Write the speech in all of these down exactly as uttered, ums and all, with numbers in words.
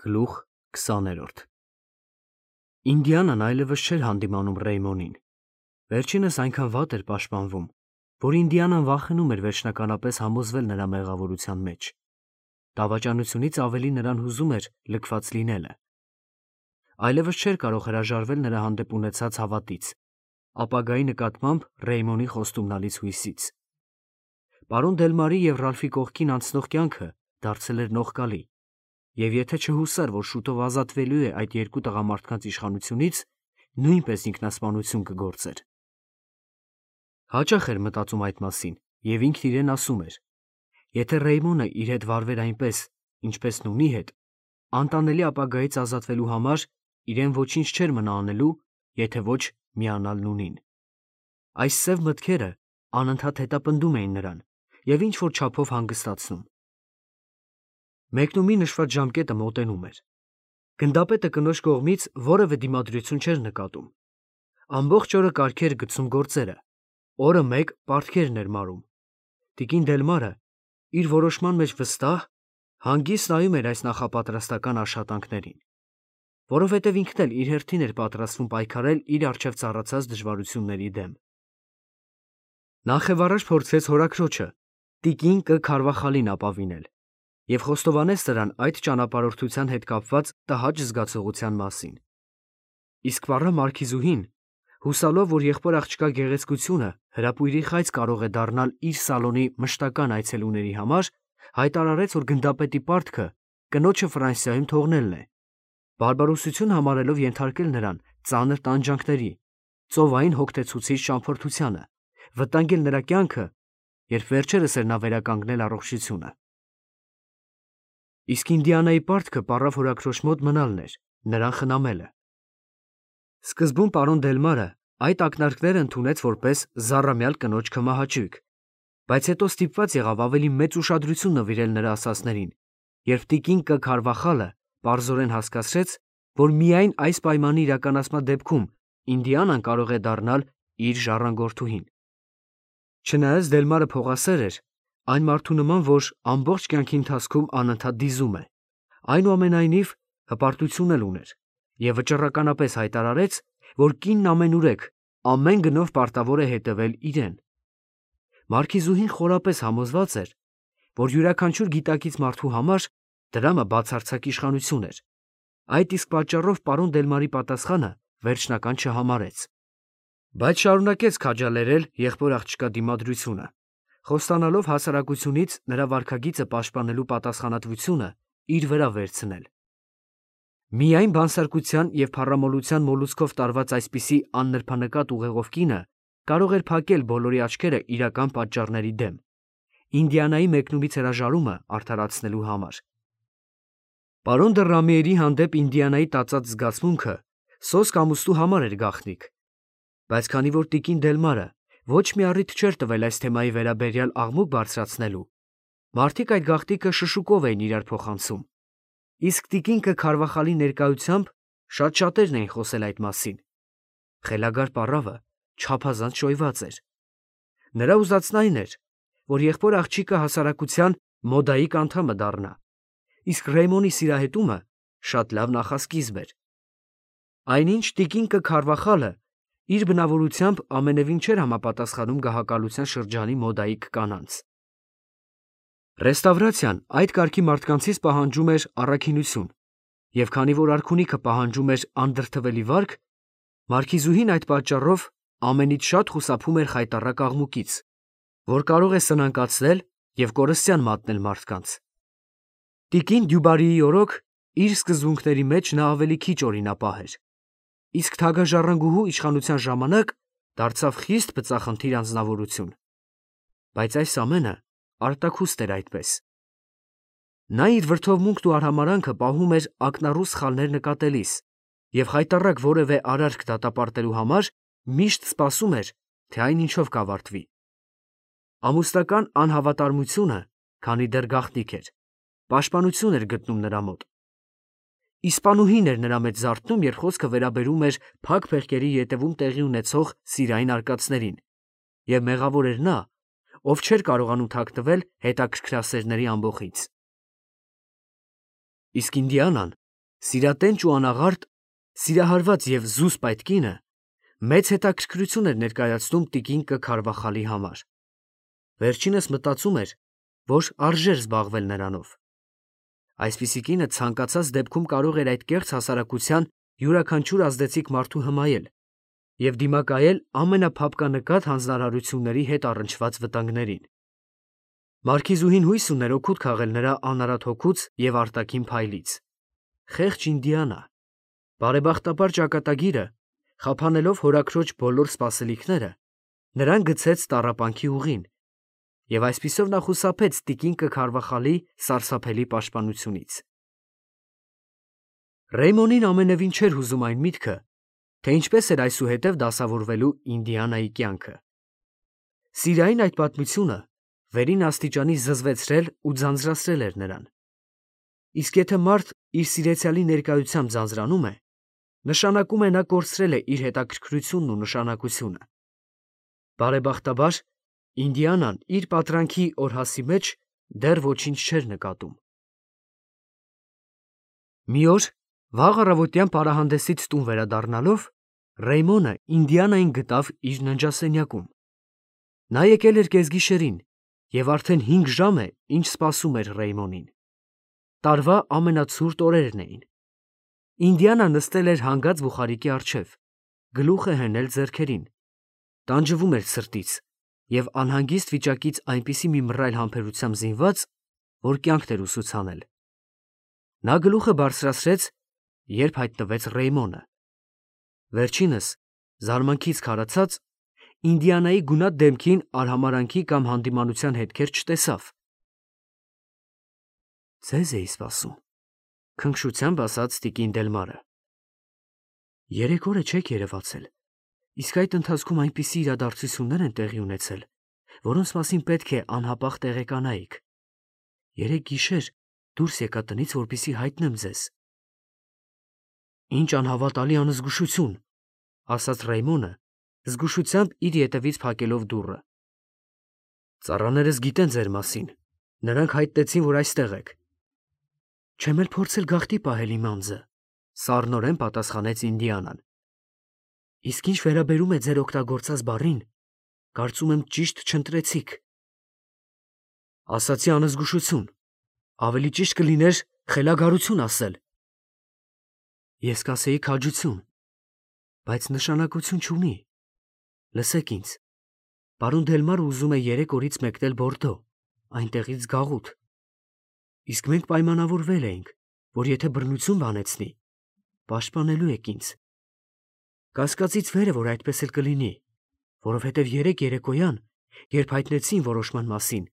Գլուխ քսաներորդ Ինդիանան այլևս չէր հանդիմանում Ռեյմոնին։ Վերջինս այնքան վատ էր պաշտպանվում, որ Ինդիանան վախենում էր վերջնականապես համոզվել նրա մեղավորության մեջ։ Դավաճանությունից ավելի նրան հուզում էր լքված լինելը։ Այլևս չէր կարող հրաժարվել նրա հանդեպ ունեցած հավատից, ապագայի նկատմամբ Ռեյմոնի խոստումնալից հույսից։ Պարոն Դելմարի և Ռալֆի կողքին անցնող կյանքը դարձել էր նողկալի, և եթե չհուսար, որ շուտով ազատվելու է այդ երկու տղամարդկանց իշխանությունից, նույնպես ինքնասպանություն կգործեր։ Հաճախ էր մտածում այդ մասին և ինքն իրեն ասում էր. եթե Ռեյմոնը իր հետ վարվեր այնպես, ինչպես Նունի հետ, անտանելի ապագայից ազատվելու համար իրեն ոչինչ չէր մնա անելու, եթե ոչ միանալ Նունին։ Այս սև մտքերը անընդհատ հետապնդում էին նրան և ինչ-որ չափով հանգստացնում։ Մեկնումի նշված ժամկետը մոտենում էր։ Գնդապետը կնոջ կողմից որևէ դիմադրություն չէր նկատում։ Ամբողջ օրը կարգի էր գցում գործերը, օրը մեկ պարտքերն էր մարում։ Տիկին Դելմարը, իր որոշման մեջ վստահ, հանգիստ նայում էր այս նախապատրաստական աշխատանքներին, որովհետև ինքն էլ իր հերթին էր պատրաստվում պայքարել իր առջև ծառացած դժվարությունների դեմ։ Նախևառաջ փորձեց հորաքրոջը՝ տիկին Կ. Քարվախալին ապավինել և խոստովանեց նրան այդ ճանապարհորդության հետ կապված տհաճ զգացողության մասին։ Իսկ վառա մարքիզուհին, հուսալով, որ եղբոր աղջկա գեղեցկությունը հրապույրի խայծ կարող է դառնալ իր սալոնի մշտական այցելուների համար, հայտարարեց, որ գնդապետի պարտքը կնոջը Ֆրանսիայում թողնելն է, բարբարոսություն համարելով ենթարկել նրան ծանր տանջանքների, ծովային հոգնեցուցիչ ճամփորդությանը, վտանգել նրա կյանքը, երբ վերջերս էր նա վերականգնել առողջությունը։ Իսկ Ինդիանայի պարտքը պառավ հորաքրոջ մոտ մնալն էր, նրան խնամելը։ Սկզբում պարոն Դելմարը այդ ակնարկները ընդունեց որպես զառամյալ կնոջ քմահաճույք, բայց հետո ստիպված եղավ ավելի մեծ ուշադրություն նվիրել նրա ասածներին, երբ տիկին Կ. Քարվախալը պարզորեն հասկացրեց, որ միայն այս պայմանի իրականացման դեպքում Ինդիանան կարող է դառնալ իր ժառանգորդուհին։ Չնայած Դելմարը փողասեր էր, այն մարդու նման, որ ամբողջ կյանքի ընթացքում անընդհատ դիզում է, այնուամենայնիվ հպարտություն էլ ուներ և վճռականապես հայտարարեց, որ կինն ամենուրեք, ամեն գնով պարտավոր է հետևել իրեն։ Մարքիզուհին խորապես համոզված էր, որ յուրաքանչյուր գիտակից մարդու համար դրամը բացարձակ իշխանություն էր։ Այդ իսկ պատճառով պարոն Դելմարի պատասխանը վերջնական չհամարեց, բայց շարունակեց քաջալերել եղբոր աղջկա դիմադրությունը, խոստանալով հասարակությունից նրա վարքագիծը պաշտպանելու պատասխանատվությունը իր վրա վերցնել։ Միայն բանսարկության և փառամոլության մոլուցքով տարված այսպիսի աննրբանկատ ուղեղով կինը կարող էր փակել բոլորի աչքերը իրական պատճառների դեմ, Ինդիանայի մեկնումից հրաժարումը արդարացնելու համար։ Պարոն դը Ռամիերի հանդեպ Ինդիանայի տածած զգացմունքը սոսկ ամուսնու համար էր գաղտնիք, բայց քանի որ տիկին Դելմարը ոչ մի առիթ չէր տվել այս թեմայի վերաբերյալ աղմուկ բարձրացնելու, մարդիկ այդ գաղտնիքը շշուկով էին իրար փոխանցում, իսկ տիկին Կ. Քարվախալի ներկայությամբ շատ շատերն էին խոսել այդ մասին։ Խելագար պառավը չափազանց շոյված էր։ Նրա ուզածն այն էր, որ եղբոր աղջիկը հասարակության մոդայիկ անդամը դառնա, իսկ Ռեյմոնի սիրահետումը շատ լավ նախասկիզբ էր։ Այնինչ տիկին Կ. Քարվախալը իր բնավորությամբ ամենևին չէր համապատասխանում գահակալության շրջանի մոդայիկ կանանց։ Ռեստավրացիան այդ կարգի մարդկանցից պահանջում էր առաքինություն, և քանի որ արքունիքը պահանջում էր անդրդվելի վարք, մարքիզուհին այդ պատճառով ամենից շատ խուսափում էր խայտառակ աղմուկից, որ կարող է սնանկացնել և կորստյան մատնել մարդկանց։ Տիկին Դյուբարիի օրոք իր սկզբունքների մեջ նա ավելի քիչ օրինապահ էր, իսկ թագաժառանգուհու իշխանության ժամանակ դարձավ խիստ բծախնդիր անձնավորություն։ Բայց այս ամենը արտաքուստ էր այդպես։ Նա իր վրդովմունքն ու արհամարհանքը պահում էր ակնառու սխալներ նկատելիս և խայտառակ որևէ արարք դատապարտելու համար միշտ սպասում էր, թե այն ինչով կավարտվի։ Ամուսնական անհավատարմությունը, քանի դեռ գաղտնիք էր, պաշտպանություն էր գտնում նրա մոտ։ Իսպանուհին էր նրա մեջ զարթնում, երբ խոսքը վերաբերում էր փակ փեղկերի ետևում տեղի ունեցող սիրային արկածներին, և մեղավոր էր նա, ով չէր կարողանում թաքնվել հետաքրքրասերների ամբոխից։ Իսկ Ինդիանան Սիրատենչ ու անաղարտ, սիրահարված և զուսպ այդ կինը մեծ հետաքրքրություն էր ներկայացնում տիկին Կ. Քարվախալի համար. վերջինս մտածում էր, որ արժեր զբաղվել նրանով։ Այսպիսի կինը ցանկացած դեպքում կարող էր այդ կեղծ հասարակության յուրաքանչյուր ազդեցիկ մարդու հմայել և դիմակայել ամենափափկանկատ հանձնարարությունների հետ առնչված վտանգներին։ Մարքիզուհին հույս ուներ օգուտ քաղել նրա անարատ հոգուց և արտաքին փայլից։ Խեղճ Ինդիանա, բարեբախտաբար ճակատագիրը, խափանելով հորաքրոջ բոլոր սպասելիքները, նրան գցեց տառապանքի ուղին, և այսպիսով նա խուսափեց տիկին Կ. Քարվախալի սարսափելի պաշտպանությունից։ Ռեյմոնին ամենևին չէր հուզում այն միտքը, թե ինչպես էր այսուհետև դասավորվելու Ինդիանայի կյանքը։ Սիրային այդ պատմությունը վերին աստիճանի զզվեցրել ու ձանձրացրել էր նրան։ Իսկ եթե մարդ իր սիրեցյալի ներկայությամբ ձանձրանում է, նշանակում է նա կորցրել է իր հետաքրքրությունն ու նշանակությունը։ Բարեբախտաբար, Ինդիանան իր պատրանքի օրհասի մեջ դեռ ոչինչ չէր նկատում։ Մի օր, վաղ առավոտյան պարահանդեսից տուն վերադառնալով, Ռեյմոնը Ինդիանային գտավ իր ննջասենյակում։ Նա եկել էր կեսգիշերին և արդեն հինգ ժամ է, ինչ սպասում էր Ռեյմոնին։ Տարվա ամենացուրտ օրերն էին։ Ինդիանան նստել էր հանգած բուխարիկի առջև, գլուխը հենել ձեռքերին, տանջվում էր սրտից և անհանգիստ վիճակից այնպիսի մի մռայլ համբերությամբ զինված, որ կյանքն էր ուսուցանել։ Նա գլուխը բարձրացրեց, երբ հայտնվեց Ռեյմոնը։ Վերջինս, զարմանքից քարացած, Ինդիանայի գունատ դեմքին արհամարհանքի կամ հանդիմանության հետքեր չտեսավ։ «Ձեզ էի սպասում», քնքշությամբ ասաց տիկին Դելմարը։ «Երեք օր է չեք երևացել, իսկ այդ ընթացքում այնպիսի իրադարձություններ են տեղի ունեցել, որոնց մասին պետք է անհապաղ տեղեկանայիք։ Երեկ գիշեր դուրս եկա տնից, որպեսզի հայտնեմ ձեզ»։ «Ինչ անհավատալի անզգուշություն», ասաց Ռեյմոնը, զգուշությամբ իր ետևից փակելով դուռը։ «Ծառաներս գիտեն ձեր մասին, նրանք հայտնեցին, որ այստեղ եք»։ «Չեմ էլ փորձել գաղտնի պահել իմ անձը», սառնորեն պատասխանեց Ինդիանան։ «Իսկ ինչ վերաբերում է ձեր օգտագործած բառին, կարծում եմ ճիշտ չընտրեցիք»։ «Ասացի անզգուշություն, ավելի ճիշտ կլիներ խելագարություն ասել»։ «Ես կասեի քաջություն, բայց նշանակություն չունի։ Լսեք ինձ, պարոն Դելմարը ուզում է երեք օրից մեկնել Բորդո, այնտեղից գաղութ։ Իսկ մենք պայմանավորվել էինք, որ եթե բռնություն բանեցնի, պաշտպանելու եք ինձ։ Կասկածից վեր է, որ այդպես էլ կլինի, որովհետև երեկ երեկոյան, երբ հայտնեցին որոշման մասին,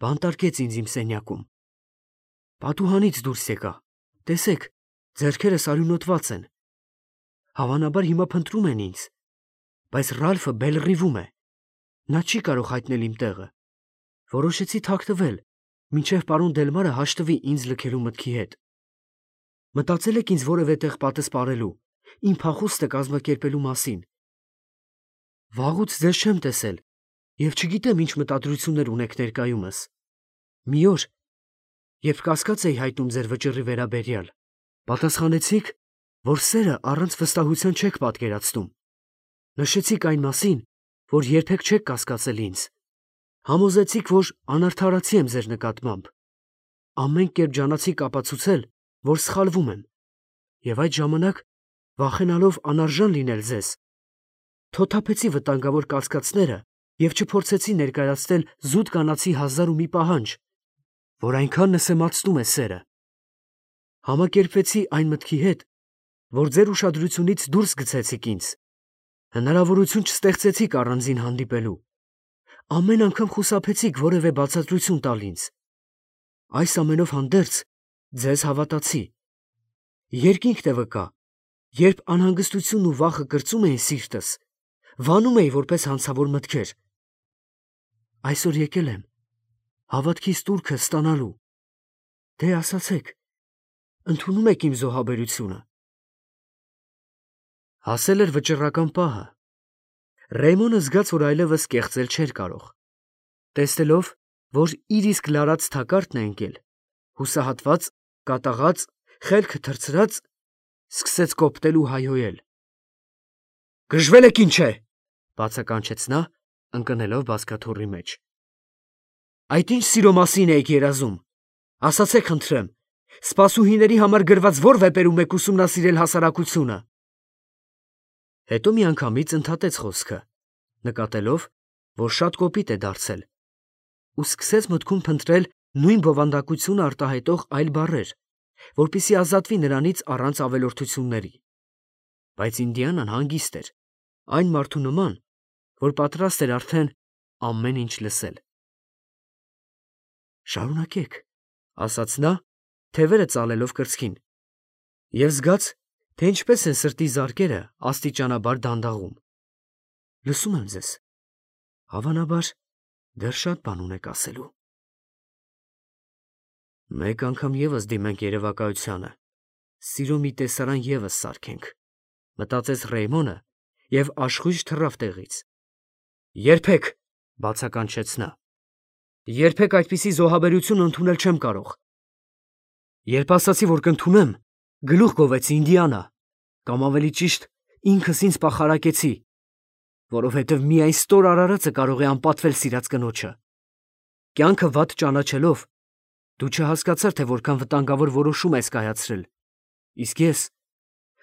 բանտարկեց ինձ իմ սենյակում։ Պատուհանից դուրս եկա, տեսեք, ձեռքերս արյունոտված են։ Հավանաբար հիմա փնտրում են ինձ, բայց Ռալֆը բելռիվում է։ Նա չի կարող հայտնել իմ տեղը։ Որոշեցի թաքնվել, մինչև պարոն Դելմարը հաշտվի ինձ լքելու մտքի հետ։ Մտածել եք ինձ որևէ տեղ պատսպարելու, իմ փախուստը կազմակերպելու մասին։ Վաղուց ձեզ չեմ տեսել և չգիտեմ ինչ մտադրություններ ունեք ներկայումս։ Մի օր, երբ կասկած էի հայտնում ձեր վճռի վերաբերյալ, պատասխանեցիք, որ սերը առանց վստահության չեք պատկերացնում։ Նշեցիք այն մասին, որ երբեք չեք կասկածել ինձ։ Համոզեցիք, որ անարդարացի եմ ձեր նկատմամբ։ Ամեն կերպ ջանացիք ապացուցել, որ սխալվում եմ, և այդ ժամանակ, վախենալով անարժան լինել ձեզ, թոթափեցի վտանգավոր կասկածները և չփորձեցի ներկայացնել զուտ կանացի հազար ու մի պահանջ, որ այնքան նսեմացնում է սերը։ Համակերպվեցի այն մտքի հետ, որ ձեր ուշադրությունից դուրս գցեցիք ինձ, հնարավորություն չստեղծեցիք առանձին հանդիպելու, ամեն անգամ խուսափեցիք որևէ բացատրություն տալ ինձ։ Այս ամենով հանդերձ ձեզ հավատացի։ Երկինքն է վկա, երբ անհանգստությունն ու վախը կրծում էին սիրտս, վանում էի որպես հանցավոր մտքեր։ Այսօր եկել եմ հավատքիս տուրքը ստանալու։ Դե ասացեք, ընդունում եք իմ զոհաբերությունը։ Հասել էր վճռական պահը։ Ռեյմոնը զգաց, որ այլևս կեղծել չէր կարող։ Տեսնելով, որ իր իսկ լարած թակարդն է ընկել, հուսահատված, կատաղած, խելքը թրծրած, սկսեց կոպտել ու հայհոյել։ «Գժվել եք ինչ է», բացականչեց նա, ընկնելով բազկաթոռի մեջ։ «Այդ ինչ սիրո մասին էիք երազում, ասացեք խնդրեմ, սպասուհիների համար գրված ո՞ր վեպերում եք ուսումնասիրել հասարակությունը»։ Հետո միանգամից ընդհատեց խոսքը, նկատելով, որ շատ կոպիտ է դարձել, ու սկսեց մտքում փնտրել նույն բովանդակությունը արտահայտող այլ բառեր, որպեսզի ազատվի նրանից առանց ավելորդությունների։ Բայց Ինդիանան հանգիստ էր, այն մարդու նման, որ պատրաստ էր արդեն ամեն ինչ լսել։ «Շարունակեք», ասաց նա, թևերը ծալելով կրծքին, և զգաց, թե ինչպես են սրտի զարկերը աստիճանաբար դանդաղում։ «Լսում եմ ձեզ, հավանաբար դեռ շատ բան ունեք ասելու»։ «Մեկ անգամ ևս դիմենք երևակայությանը, սիրո մի տեսարան ևս սարքենք», մտածեց Ռեյմոնը և աշխույժ թռավ տեղից։ «Երբեք», բացականչեց նա, «երբեք այդպիսի զոհաբերություն ընդունել չեմ կարող։ Երբ ասացի, որ կընդունեմ, գլուխ գովեցի Ինդիանա, կամ ավելի ճիշտ, ինքս ինձ պախարակեցի, որովհետև միայն ստոր արարածը կարող է անպատվել սիրած կնոջը։ Կյանքը վատ ճանաչելով, դու չհասկացար, թե որքան վտանգավոր որոշում ես կայացրել, իսկ ես,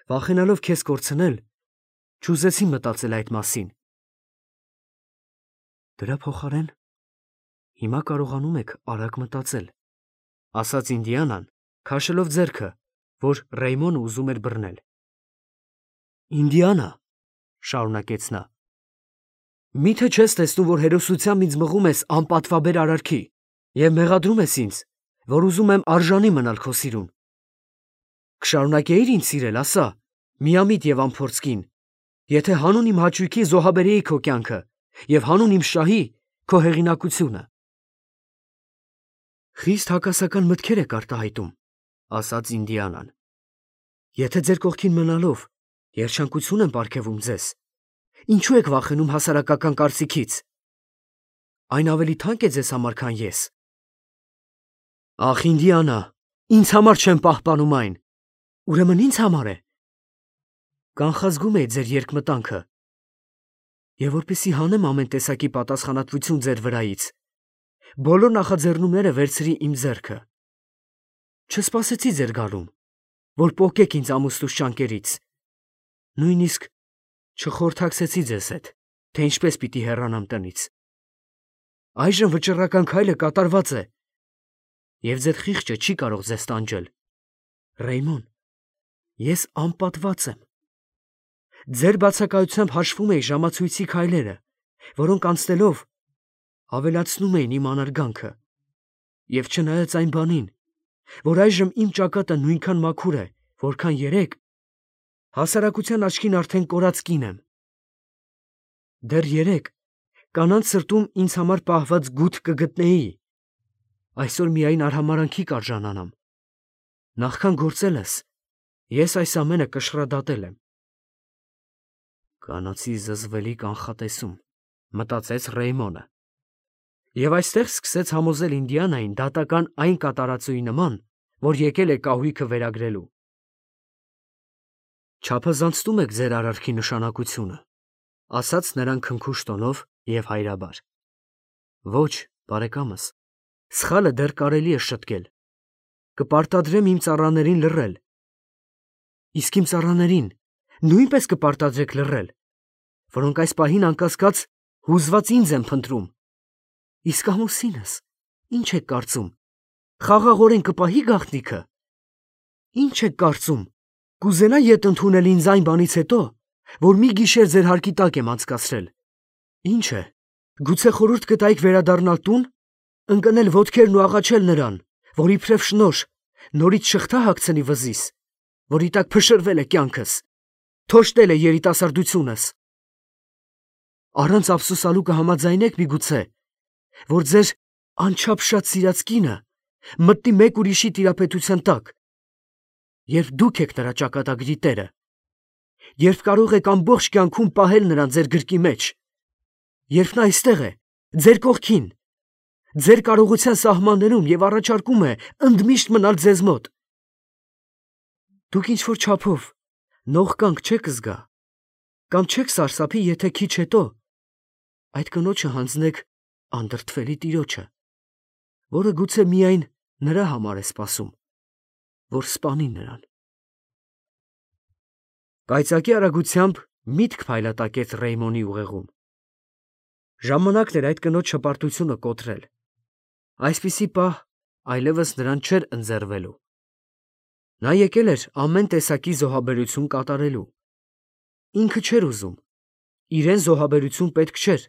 վախենալով քեզ կորցնել, չուզեցի մտածել այդ մասին։ Դրա փոխարեն հիմա կարողանում եք արագ մտածել», ասաց Ինդիանան, քաշելով ձեռքը, որ Ռեյմոնը ուզում էր բռնել։ «Ինդիանա», շարունակեց նա, «միթե չես տեսնում, որ հերոսությամբ ինձ մղում ես անպատվաբեր արարքի և մեղադրում ես ինձ, որ ուզում եմ արժանի մնալ քո սիրուն։ Կշարունակեի՞ր ինձ սիրել, ասա, միամիտ և անփորձ կին, եթե հանուն իմ հաճույքի զոհաբերեի քո կյանքը և հանուն իմ շահի քո հեղինակությունը»։ «Խիստ հակասական մտքեր եք արտահայտում», ասաց Ինդիանան։ «Եթե ձեր կողքին մնալով երջանկություն եմ պարգևում ձեզ, ինչու եք վախենում հասարակական կարծիքից։ Այն ավելի թանկ է ձեզ համար, քան ես։ Ախ, Ինդիանա, ինձ համար չեմ պահպանում այն, ուրեմն ինձ համար է։ Կանխազգում էի ձեր երկմտանքը, և որպեսզի հանեմ ամեն տեսակի պատասխանատվություն ձեր վրայից, բոլոր նախաձեռնումները վերցրի իմ ձեռքը։ Չսպասեցի ձեր գալուն, որ պոկեք ինձ ամուսնուս ճանկերից, նույնիսկ չխորհրդակցեցի ձեզ հետ, թե ինչպես պիտի հեռանամ տնից։ Այժմ վճռական քայլը կատարված է, և ձեր խիղճը չի կարող ձեզ տանջել։ Ռեյմոն, ես անպատված եմ։ Ձեր բացակայությամբ հաշվում էի ժամացույցի քայլերը, որոնք անցնելով ավելացնում էին իմ անարգանքը, և չնայած այն բանին, որ այժմ իմ ճակատը նույնքան մաքուր է, որքան երեկ, հասարակության աչքին արդեն կորած կին եմ։ Դեռ երեկ կանանց սրտում ինձ համար պահված գութ կգտնեի, այսօր միայն արհամարհանքի կարժանանամ։ Նախքան գործելս, ես այս ամենը կշռադատել եմ։ Կանացի զզվելի կանխատեսում, մտածեց Ռեյմոնը, և այստեղ սկսեց համոզել Ինդիանային դատական այն կատարածուի նման, որ եկել է կահույքը վերագրելու։ Չափազանցնում եք ձեր արարքի նշանակությունը, ասաց նրան քնքուշ տոնով և հայրաբար։ Ոչ, բարեկամս, սխալը դեռ կարելի է շտկել։ Կպարտադրեմ իմ ծառաներին լռել։ Իսկ իմ ծառաներին նույնպես կպարտադրեք լռել, որոնք այս պահին անկասկած հուզված ինձ են փնտրում։ Իսկ ամուսինս, ինչ եք կարծում, խաղաղորեն կպահի գաղտնիքը։ Ինչ եք կարծում, կուզենա ետ ընդունել ինձ այն բանից հետո, որ մի գիշեր ձեր հարկի տակ եմ անցկացրել։ Ինչ է, գուցե խորհուրդ կտայիք վերադառնալ տուն, ընկնել ոտքերն ու աղաչել նրան, որ իբրև շնորհ նորից շղթա հագցնի վզիս, որի տակ փշրվել է կյանքս, թոշտել է երիտասարդությունս։ Առանց ափսոսալու կհամաձայնեք միգուցե, որ ձեր անչափ շատ սիրած կինը մտնի մեկ ուրիշի տիրապետության տակ, երբ դուք եք նրա ճակատագրի տերը, երբ կարող եք ամբողջ կյանքում պահել նրան ձեր գրկի մեջ, երբ նա այստեղ է, ձեր կողքին, ձեր կարողության սահմաններում և առաջարկում է ընդմիշտ մնալ ձեզ մոտ։ Դուք ինչ-որ չափով նող կանգ չեք զգա, կամ չեք սարսափի, եթե քիչ հետո այդ կնոջը հանձնեք անդրդվելի տիրոջը, որը գուցե միայն նրա համար է սպասում, որ սպանի նրան։ Կայծակի արագությամբ միտք փայլատակեց Ռեյմոնի ուղեղում։ Ժամանակն էր այդ կնոջ հպարտությունը կոտրել։ Այսպիսի պահ այլևս նրան չէր ընձեռվելու։ Նա եկել էր ամեն տեսակի զոհաբերություն կատարելու։ Ինքը չէր ուզում, իրեն զոհաբերություն պետք չէր,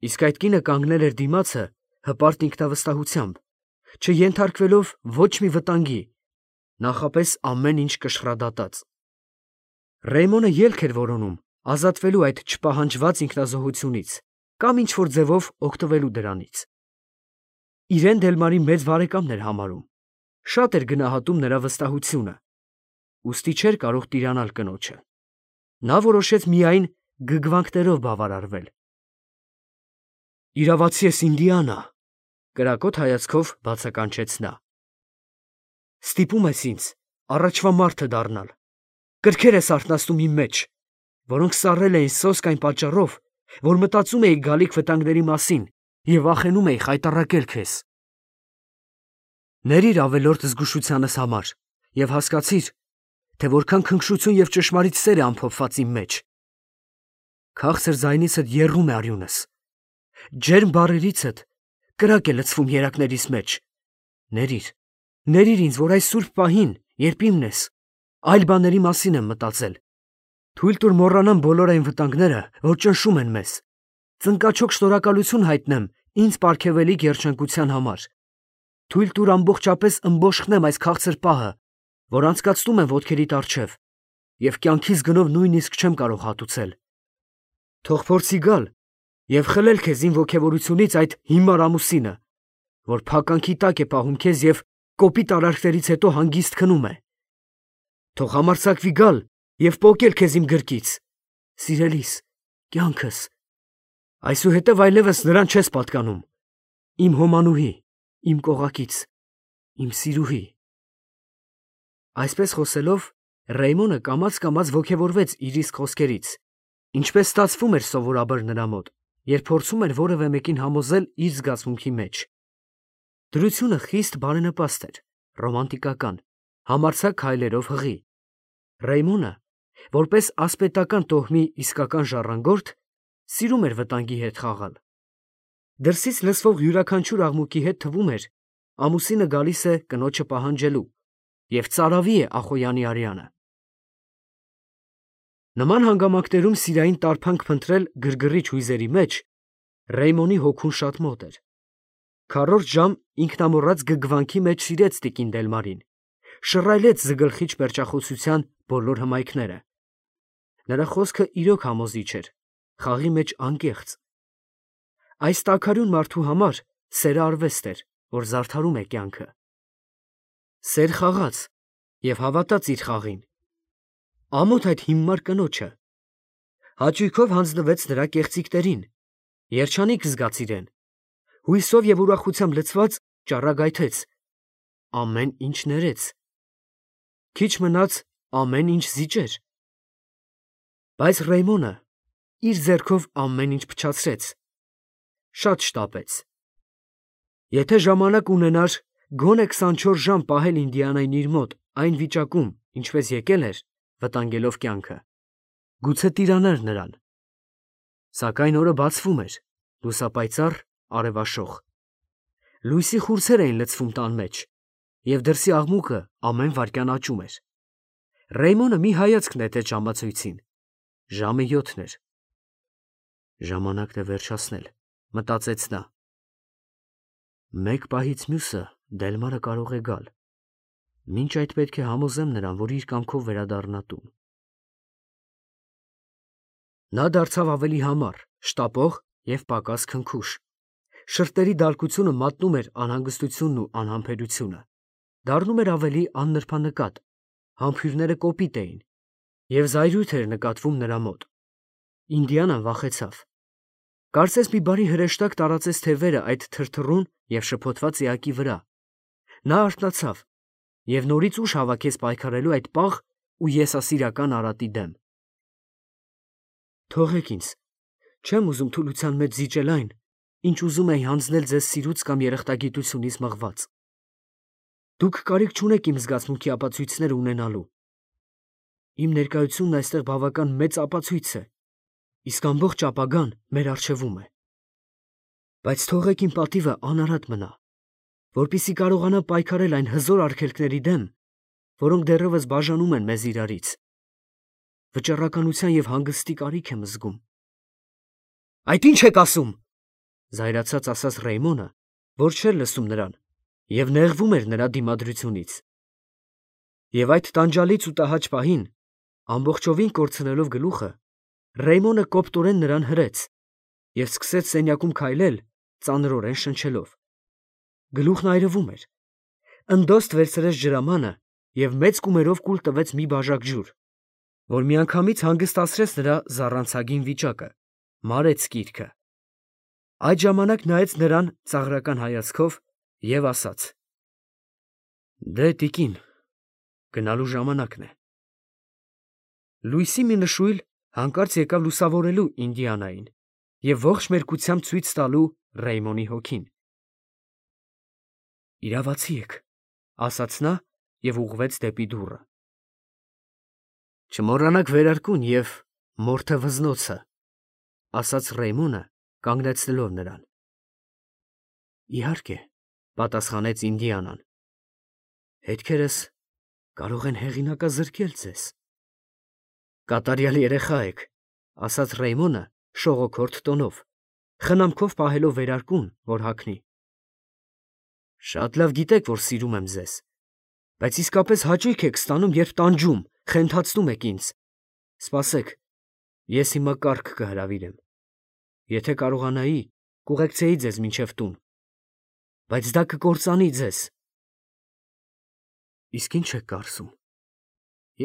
իսկ այդ կինը կանգնել էր դիմացը հպարտ ինքնավստահությամբ, չենթարկվելով ոչ մի վտանգի, նախապես ամեն ինչ կշռադատած։ Ռեյմոնը ելք էր որոնում ազատվելու այդ չպահանջված ինքնազոհությունից կամ ինչ-որ ձևով օգտվելու դրանից։ Իրեն Դելմարի մեծ բարեկամն էր համարում, շատ էր գնահատում նրա վստահությունը, ուստի չէր կարող տիրանալ կնոջը։ Նա որոշեց միայն գգվանքներով բավարարվել։ «Իրավացի ես, Ինդիանա», կրակոտ հայացքով բացականչեց նա։ «Ստիպում ես ինձ առաջվա մարդը դառնալ, կրքեր ես արթնացնում իմ մեջ, որոնք սառել էին սոսկ այն պատճառով, որ մտածում էի գալիք վտանգների մասին և վախենում էի խայտառակել քեզ։ Ներիր ավելորդ զգուշությանս համար և հասկացիր, թե որքան քնքշություն և ճշմարիտ սեր է ամփոփված իմ մեջ։ Քաղցր ձայնիցդ եռում է արյունս, ջերմ բառերիցդ կրակ է լցվում երակներիս մեջ։ Ներիր, ներիր ինձ, որ այս սուրբ պահին, երբ իմն ես, այլ բաների մասին եմ մտածել։ Թույլ տուր մոռանամ բոլոր այն վտանգները, որ ճնշում են մեզ, ծնկաչոք շնորհակալություն հայտնեմ ինձ պարգևելիք երջանկության համար։ Թույլ տուր ամբողջապես ըմբոշխնեմ այս քաղցր պահը, որ անցկացնում եմ ոտքերիդ առջև, և կյանքիս գնով նույնիսկ չեմ կարող հատուցել։ Թող փորձի գալ և խլել քեզ իմ ոգևորությունից այդ հիմար ամուսինը, որ փականքի տակ է պահում քեզ և կոպիտ արարքներից հետո հանգիստ քնում է։ Թող համարձակվի գալ և պոկել քեզ իմ գրկից, սիրելիս, կյանքս, այսուհետև այլևս նրան չես պատկանում, իմ հոմանուհի, իմ կողակից, իմ սիրուհի։ Այսպես խոսելով Ռեյմոնը կամաց-կամաց ոգևորվեց իր իսկ խոսքերից, ինչպես ստացվում էր սովորաբար նրա մոտ, երբ փորձում էր որևէ մեկին համոզել իր զգացմունքի մեջ։ Դրությունը խիստ բարենպաստ էր, ռոմանտիկական, համարձակ քայլերով հղի։ Ռեյմոնը, որպես ասպետական տոհմի իսկական ժառանգորդ, սիրում էր վտանգի հետ խաղալ։ Դրսից լսվող յուրաքանչյուր աղմուկի հետ թվում էր, ամուսինը գալիս է կնոջը պահանջելու և ծարավի է Ախոյանի արյանը։ Նման հանգամանքներում սիրային տարփանք փնտրել գրգռիչ հույզերի մեջ Ռեյմոնի հոգուն շատ մոտ էր։ Քառորդ ժամ ինքնամոռաց գգվանքի մեջ սիրեց տիկին Դելմարին, շռայլեց զգլխիչ պերճախոսության բոլոր հմայքները։ Նրա խոսքը իրոք համոզիչ էր, խաղի մեջ անկեղծ։ Այս տաքարյուն մարդու համար սերը արվեստ էր, որ զարդարում է կյանքը։ Սեր խաղաց և հավատաց իր խաղին։ Ամոթ այդ հիմար կնոջը։ Հաճույքով հանձնվեց նրա կեղծիքներին, երջանիկ զգաց իրեն, հույսով և ուրախությամբ լցված ճառագայթեց, ամեն ինչ ներեց։ Քիչ մնաց ամեն ինչ զիջեր։ Բայց Ռեյմոնը իր ձեռքով ամեն ինչ փչացրեց, շատ շտապեց։ Եթե ժամանակ ունենար գոնե քսանչորս ժամ պահել Ինդիանային իր մոտ այն վիճակում, ինչպես եկել էր, վտանգելով կյանքը, գուցե տիրանար նրան։ Սակայն օրը բացվում էր, լուսապայծառ, արևաշող։ Լույսի խուրձեր էին լցվում տան մեջ, և դրսի աղմուկը ամեն վայրկյան աճում էր։ Ռեյմոնը մի հայացք նետեց ժամացույցին։ Ժամը յոթն էր։ Ժամանակն է վերջացնել, մտածեց նա։ Մեկ պահից մյուսը Դելմարը կարող է գալ։ Մինչ այդ պետք է համոզեմ նրան, որ իր կամքով վերադառնա տուն։ Նա դարձավ ավելի համառ, շտապող և պակաս քնքուշ։ Շրթերի դալկությունը մատնում էր անհանգստությունն ու անհամբերությունը, դառնում էր ավելի աննրբանկատ, համբույրները կոպիտ էին, և զայրույթ էր նկատվում նրա մոտ։ Ինդիանան վախեցավ։ Կարծես մի բարի հրեշտակ տարածեց թևերը այդ թրթռուն և շփոթված էակի վրա։ Նա արթնացավ, և նորից ուժ հավաքեց պայքարելու այդ պաղ ու եսասիրական Արատի դեմ։ Թողեք ինձ, չեմ ուզում թուլության մեջ զիջել այն, ինչ ուզում էի հանձնել ձեզ սիրուց կամ երախտագիտությունից մղված։ Դուք կարիք չունեք իմ զգացմունքի ապացույցները ունենալու։ Իմ ներկայությունն այստեղ բավական մեծ ապացույց է, իսկ ամբողջ ապագան մեր առջևում է։ Բայց թողեք իմ պատիվը անարատ մնա, որպեսզի կարողանամ պայքարել այն հզոր արգելքների դեմ, որոնք դեռևս բաժանում են մեզ իրարից։ Վճռականության և հանգստի կարիք եմ զգում։ Այդ ի՞նչ եք ասում, զայրացած ասաց Ռեյմոնը, որ չէր լսում նրան և նեղվում էր նրա դիմադրությունից։ Եվ այդ տանջալից ու տհաճ պահին, ամբողջովին կորցնելով գլուխը, Ռեյմոնը կոպտորեն նրան հրեց և սկսեց սենյակում քայլել, ծանրորեն շնչելով։ Գլուխն այրվում էր։ Ընդոստ վերցրեց ջրամանը և մեծ կումերով կուլ տվեց մի բաժակ ջուր, որ միանգամից հանգստացրեց նրա զառանցագին վիճակը, մարեց կիրքը։ Այդ ժամանակ նայեց նրան ծաղրական հայացքով և ասաց. «Դե, տիկին, գնալու ժամանակն է»։ Լույսի մի նշույլ հանկարծ եկավ լուսավորելու Ինդիանային և ողջ մերկությամբ ցույց տալու Ռեյմոնի հոգին։ «Իրավացի եք», ասաց նա և ուղղվեց դեպի դուռը։ «Չմոռանաք վերարկուն և մորթե վզնոցը», ասաց Ռեյմոնը, կանգնեցնելով նրան։ «Իհարկե», պատասխանեց Ինդիանան։ «Հետքերս կարող են հեղինակազրկել ձեզ»։ «Կատարյալ երեխա եք», ասաց Ռեյմոնը շողոքորթ տոնով, խնամքով պահելով վերարկուն, որ հագնի։ «Շատ լավ գիտեք, որ սիրում եմ ձեզ, բայց իսկապես հաճույք եք ստանում, երբ տանջում, խենթացնում եք ինձ։ Սպասեք, ես հիմա կառք կհրավիրեմ։ Եթե կարողանայի, կուղեկցեի ձեզ մինչև տուն, բայց դա կկործանի ձեզ»։ «Իսկ ի՞նչ եք կարծում,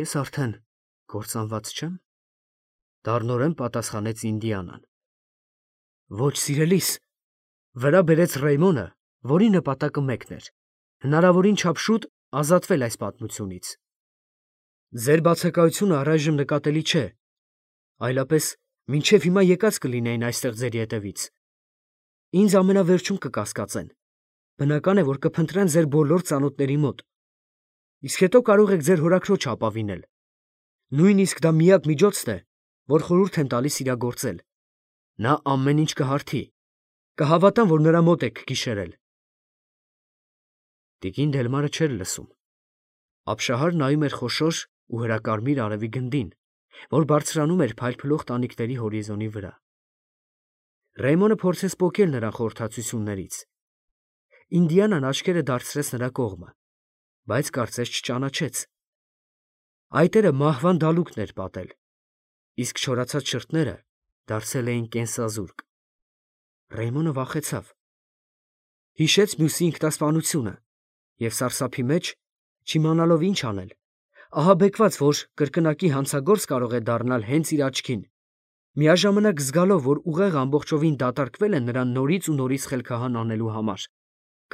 ես արդեն կործանված չե՞մ», դառնորեն պատասխանեց Ինդիանան։ «Ոչ, սիրելիս», վրա բերեց Ռեյմոնը, որի նպատակը մեկն էր՝ հնարավորին չափ շուտ ազատվել այս պատմությունից։ «Ձեր բացակայությունը առայժմ նկատելի չէ, այլապես մինչև հիմա եկած կլինեին այստեղ ձեր ետևից։ Ինձ ամենավերջում կկասկածեն, բնական է, որ կփնտրեն ձեր բոլոր ծանոթների մոտ, իսկ հետո կարող եք ձեր հորաքրոջը ապավինել։ Նույնիսկ դա միակ միջոցն է, որ խորհուրդ եմ տալիս իրագործել։ Նա ամեն ինչ կհարթի, կհավատան, որ նրա մոտ եք գիշերել»։ Տիկին Դելմարը չէր լսում։ Ապշահար նայում էր խոշոր ու հրակարմիր արևի գնդին, որ բարձրանում էր փայլփլող տանիքների հորիզոնի վրա։ Ռեյմոնը փորձեց պոկել նրան խորհրդածություններից։ Ինդիանան աչքերը դարձրեց նրա կողմը, բայց կարծես չճանաչեց։ Այտերը մահվան դալուկն էր պատել, իսկ չորացած շրթները դարձել էին կենսազուրկ։ Ռեյմոնը վախեցավ։ Հիշեց մյուսի ինքնասպանությունը և սարսափի մեջ, չիմանալով ինչ անել, ահաբեկված, որ կրկնակի հանցագործ կարող է դառնալ հենց իր աչքին, միաժամանակ զգալով, որ ուղեղը ամբողջովին դատարկվել է նրան նորից ու նորից խելքահան անելու համար,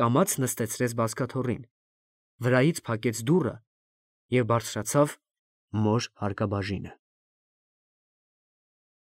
կամաց նստեցրեց բազկաթոռին, վրայից փակեց դուռը և բարձրացավ մոր հարկաբաժինը։